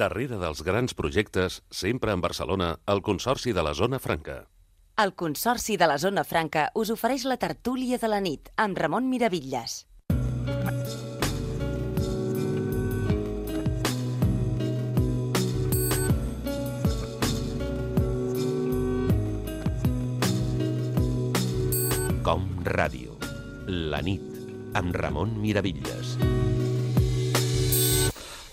Darrere dels grans projectes, sempre en Barcelona, el Consorci de la Zona Franca. El Consorci de la Zona Franca us ofereix la tertúlia de la nit amb Ramon Miravitlles. Com Ràdio. La nit, amb Ramon Miravitlles.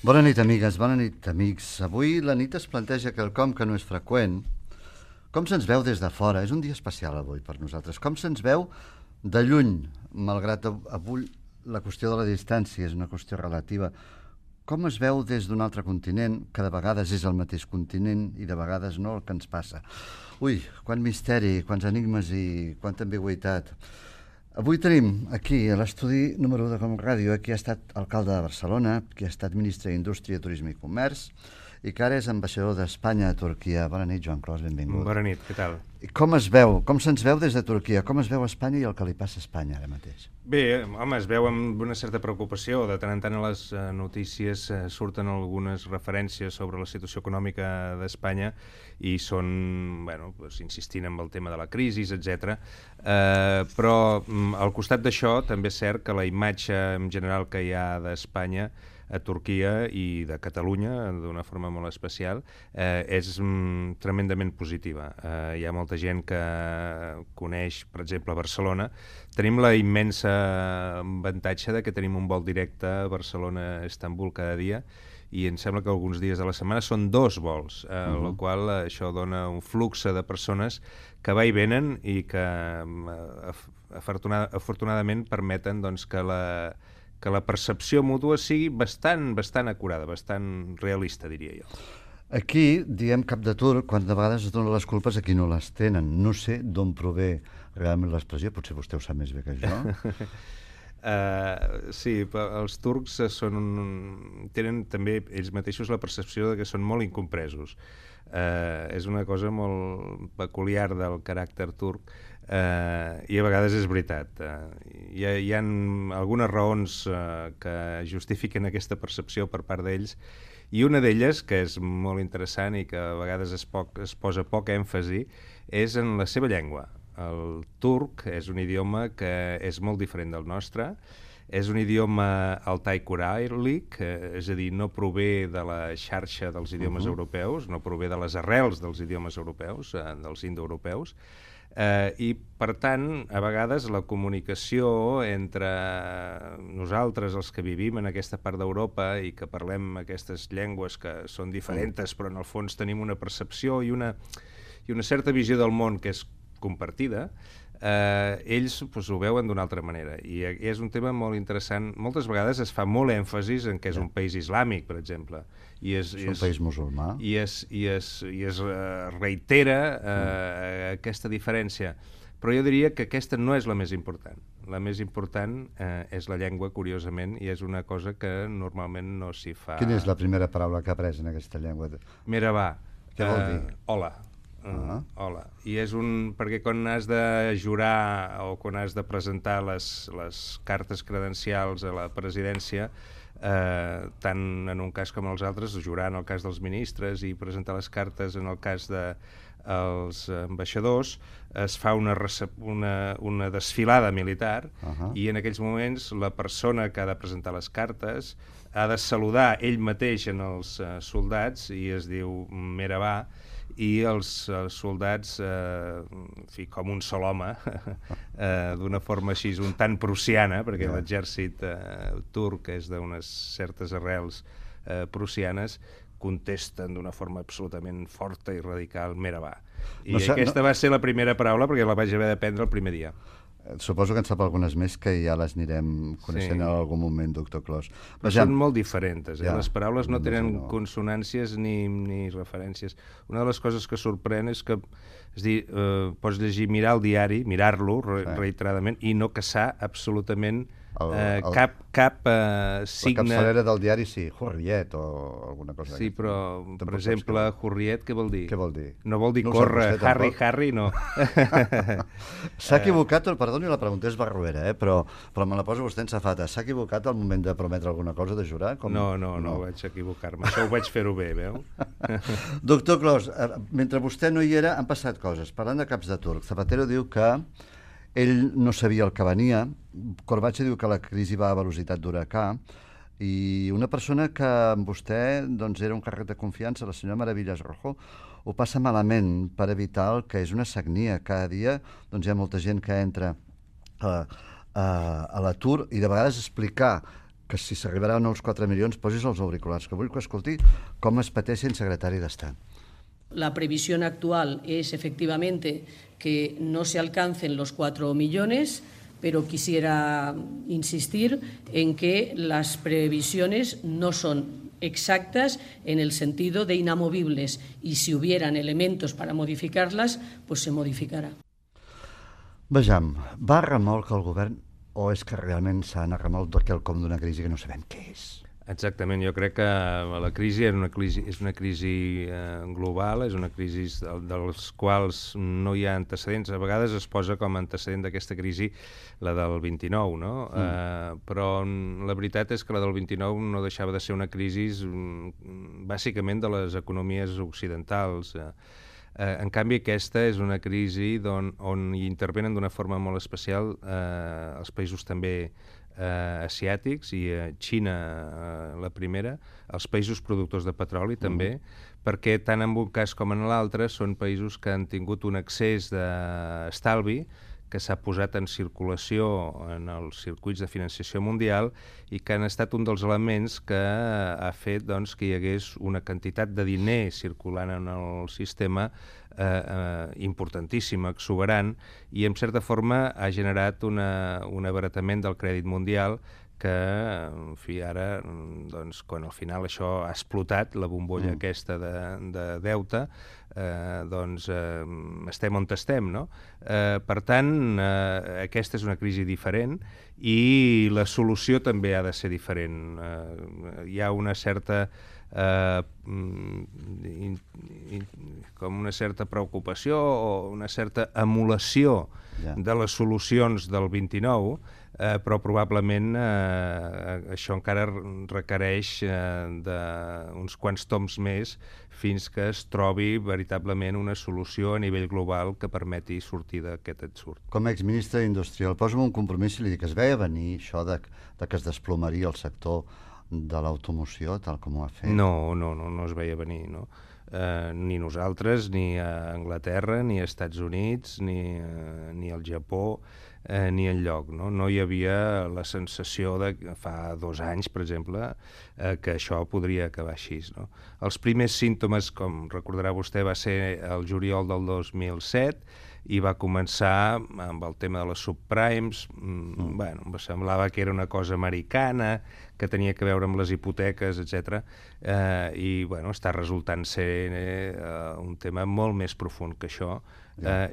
Bona nit, amigues, bona nit, amics. Avui la nit es planteja quelcom que no és freqüent. Com se'ns veu des de fora? És un dia especial avui per nosaltres. Com se'ns veu de lluny, malgrat avui la qüestió de la distància és una qüestió relativa. Com es veu des d'un altre continent, que de vegades és el mateix continent i de vegades no, el que ens passa? Ui, quant misteri, quants enigmes i quanta ambigüitat. Avui tenim aquí a l'estudi número 1 de Com Ràdio qui ha estat alcalde de Barcelona, qui ha estat ministre d'Indústria, Turisme i Comerç i que ara és ambaixador d'Espanya a Turquia. Bona nit, Joan Clos, benvingut. Bona nit, què tal? I com es veu, com se'ns veu des de Turquia? Com es veu Espanya i el que li passa a Espanya ara mateix? Bé, home, es veu amb una certa preocupació. De tant en tant a les notícies surten algunes referències sobre la situació econòmica d'Espanya i són, bueno, doncs, insistint en el tema de la crisi, etc. Però al costat d'això també és cert que la imatge en general que hi ha d'Espanya a Turquia i de Catalunya, d'una forma molt especial, és tremendament positiva. Hi ha molta gent que coneix, per exemple, Barcelona. Tenim la immensa avantatge de que tenim un vol directe a Barcelona-Istanbul cada dia i em sembla que alguns dies de la setmana són 2 vols, el qual això dona un flux de persones que va i venen i que afortunadament permeten doncs, que la percepció mútua sigui bastant acurada, bastant realista, diria jo. Aquí diem cap de turc quan de vegades es donen les culpes a qui no les tenen. No sé d'on prové realment l'expressió, potser vostè ho sap més bé que jo. Sí, els turcs tenen també ells mateixos la percepció de que són molt incompresos. És una cosa molt peculiar del caràcter turc i a vegades és veritat. Hi ha algunes raons que justifiquen aquesta percepció per part d'ells i una d'elles, que és molt interessant i que a vegades es posa poc èmfasi, és en la seva llengua. El turc és un idioma que és molt diferent del nostre, és un idioma altai-coràlic, és a dir, no prové de la xarxa dels idiomes europeus, no prové de les arrels dels idiomes europeus, dels indoeuropeus, i, per tant, a vegades la comunicació entre nosaltres, els que vivim en aquesta part d'Europa i que parlem aquestes llengües que són diferents, però en el fons tenim una percepció i una certa visió del món que és compartida, ells ho veuen d'una altra manera i és un tema molt interessant. Moltes vegades es fa molt èmfasis en que és un país islàmic, per exemple, és un país musulmà i es reitera aquesta diferència, però jo diria que aquesta no és la més important. La més important és la llengua, curiosament, i és una cosa que normalment no s'hi fa. Quina és la primera paraula que ha après en aquesta llengua? Merhaba. Què vol dir? Hola. Hola. I és perquè quan has de jurar o quan has de presentar les cartes credencials a la presidència, tant en un cas com en els altres, jurar en el cas dels ministres i presentar les cartes en el cas dels ambaixadors, es fa una desfilada militar i en aquells moments la persona que ha de presentar les cartes ha de saludar ell mateix en els soldats i es diu Merhaba, i els soldats, com un sol home, d'una forma així, un tant prussiana, perquè l'exèrcit turc és d'unes certes arrels prussianes, contesten d'una forma absolutament forta i radical, Merhaba. I aquesta va ser la primera paraula perquè la vaig haver d'aprendre el primer dia. Suposo que en sap algunes més que ja les anirem coneixent en algun moment, doctor Clos. Però són molt diferents, les paraules no tenen consonàncies ni referències. Una de les coses que sorprèn és que pots llegir, mirar el diari, mirar-lo reiteradament i no caçar absolutament Cap signe... La capçalera del diari sí, Hurriyet o alguna cosa. Sí, però, per exemple, Hurriyet, què vol dir? Què vol dir? No vol dir No córrer, Harry, no. S'ha equivocat, perdoni, la pregunta és barruera, però me la posa vostè en safata. S'ha equivocat al moment de prometre alguna cosa, de jurar? No vaig equivocar-me. Això ho vaig fer-ho bé, veu? Doctor Clos, mentre vostè no hi era, han passat coses. Parlant de caps de turc, Zapatero diu que ell no sabia el que venia, Corbacho diu que la crisi va a velocitat d'huracà, i una persona que amb vostè doncs, era un càrrec de confiança, la senyora Maravillas Rojo, ho passa malament per evitar el que és una sagnia. Cada dia doncs, hi ha molta gent que entra a l'atur i de vegades explicar que si s'arribarà a els 4 milions posis els auriculars, que vull que escolti com es pateix en secretari d'Estat. La previsión actual es efectivamente que no se alcancen los 4 millones, pero quisiera insistir en que las previsiones no son exactas en el sentido de inamovibles y si hubieran elementos para modificarlas, pues se modificarà. Vejam, va a remolc el govern o és que realment s'ha anat a remolc de quelcom d'una crisi que no sabem què és? Exactament, jo crec que la crisi és una crisi global, és una crisi dels quals no hi ha antecedents. A vegades es posa com a antecedent d'aquesta crisi la del 29, no? Però la veritat és que la del 29 no deixava de ser una crisi bàsicament de les economies occidentals. En canvi, aquesta és una crisi on hi intervenen d'una forma molt especial els països també asiàtics i Xina la primera, els països productors de petroli també, perquè tant en un cas com en l'altre són països que han tingut un excés d'estalvi que s'ha posat en circulació en els circuits de financiació mundial i que han estat un dels elements que ha fet doncs, que hi hagués una quantitat de diner circulant en el sistema importantíssima, exuberant, i en certa forma ha generat un abaratament del crèdit mundial que, en fi, ara, doncs, quan al final això ha explotat, la bombolla aquesta de deute, doncs estem on estem, no? Per tant, aquesta és una crisi diferent i la solució també ha de ser diferent. Hi ha una certa com una certa preocupació o una certa emulació de les solucions del 29, però probablement això encara requereix d'uns quants toms més fins que es trobi veritablement una solució a nivell global que permeti sortir d'aquest ensurt. Com a exministre d'Indústria, el poso un compromís i li dic que es veia venir això de que es desplomaria el sector de l'automoció, tal com ho ha fet? No es veia venir, no? Ni nosaltres, ni a Anglaterra, ni als Estats Units, ni al Japó, ni enlloc. No hi havia la sensació de fa 2 anys, per exemple, que això podria acabar així. No? Els primers símptomes, com recordarà vostè, va ser el juliol del 2007 i va començar amb el tema de les subprimes. Bueno, em semblava que era una cosa americana, que tenia a veure amb les hipoteques, etc. I bueno, està resultant ser un tema molt més profund que això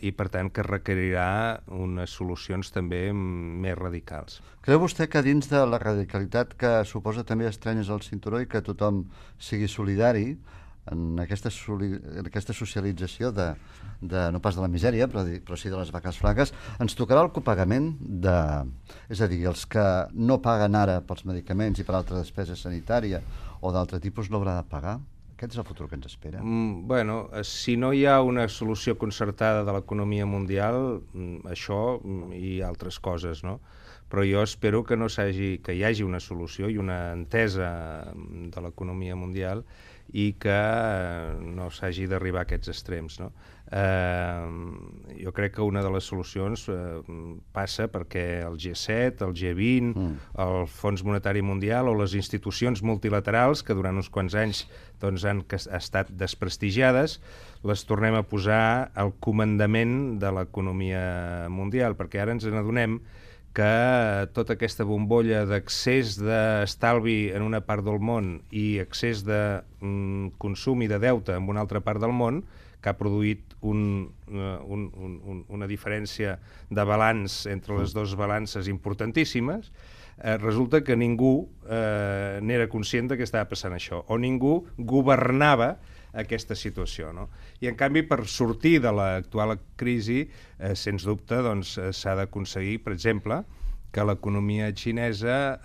i per tant que requerirà unes solucions també més radicals. Creu vostè que dins de la radicalitat que suposa també estrenyes al cinturó i que tothom sigui solidari en aquesta socialització no pas de la misèria, però sí de les vaques flaques, ens tocarà el copagament és a dir, els que no paguen ara pels medicaments i per altra despesa sanitària o d'altre tipus no haurà de pagar? Aquest és el futur que ens espera. Bueno, si no hi ha una solució concertada de l'economia mundial, això i altres coses, no? Però jo espero que hi hagi una solució i una entesa de l'economia mundial i que no s'hagi d'arribar a aquests extrems. No? Jo crec que una de les solucions passa perquè el G7, el G20, el Fons Monetari Mundial o les institucions multilaterals, que durant uns quants anys doncs, han estat desprestigiades, les tornem a posar al comandament de l'economia mundial, perquè ara ens n'adonem que tota aquesta bombolla d'accés d'estalvi en una part del món i accés de consum i de deute en una altra part del món, que ha produït una diferència de balanç entre les dues balances importantíssimes, resulta que ningú n'era conscient que estava passant això, o ningú governava aquesta situació, no? I en canvi, per sortir de l'actual crisi, sens dubte, doncs, s'ha d'aconseguir, per exemple, que l'economia xinesa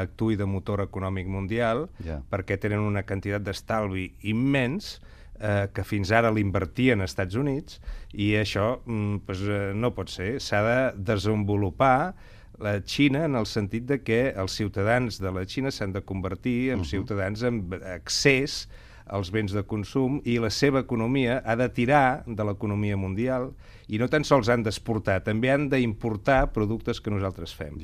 actuï de motor econòmic mundial, perquè tenen una quantitat d'estalvi immens que fins ara l'invertien als Estats Units, i això no pot ser. S'ha de desenvolupar la Xina en el sentit de que els ciutadans de la Xina s'han de convertir en ciutadans amb accés als béns de consum, i la seva economia ha de tirar de l'economia mundial, i no tan sols han d'exportar, també han d'importar productes que nosaltres fem.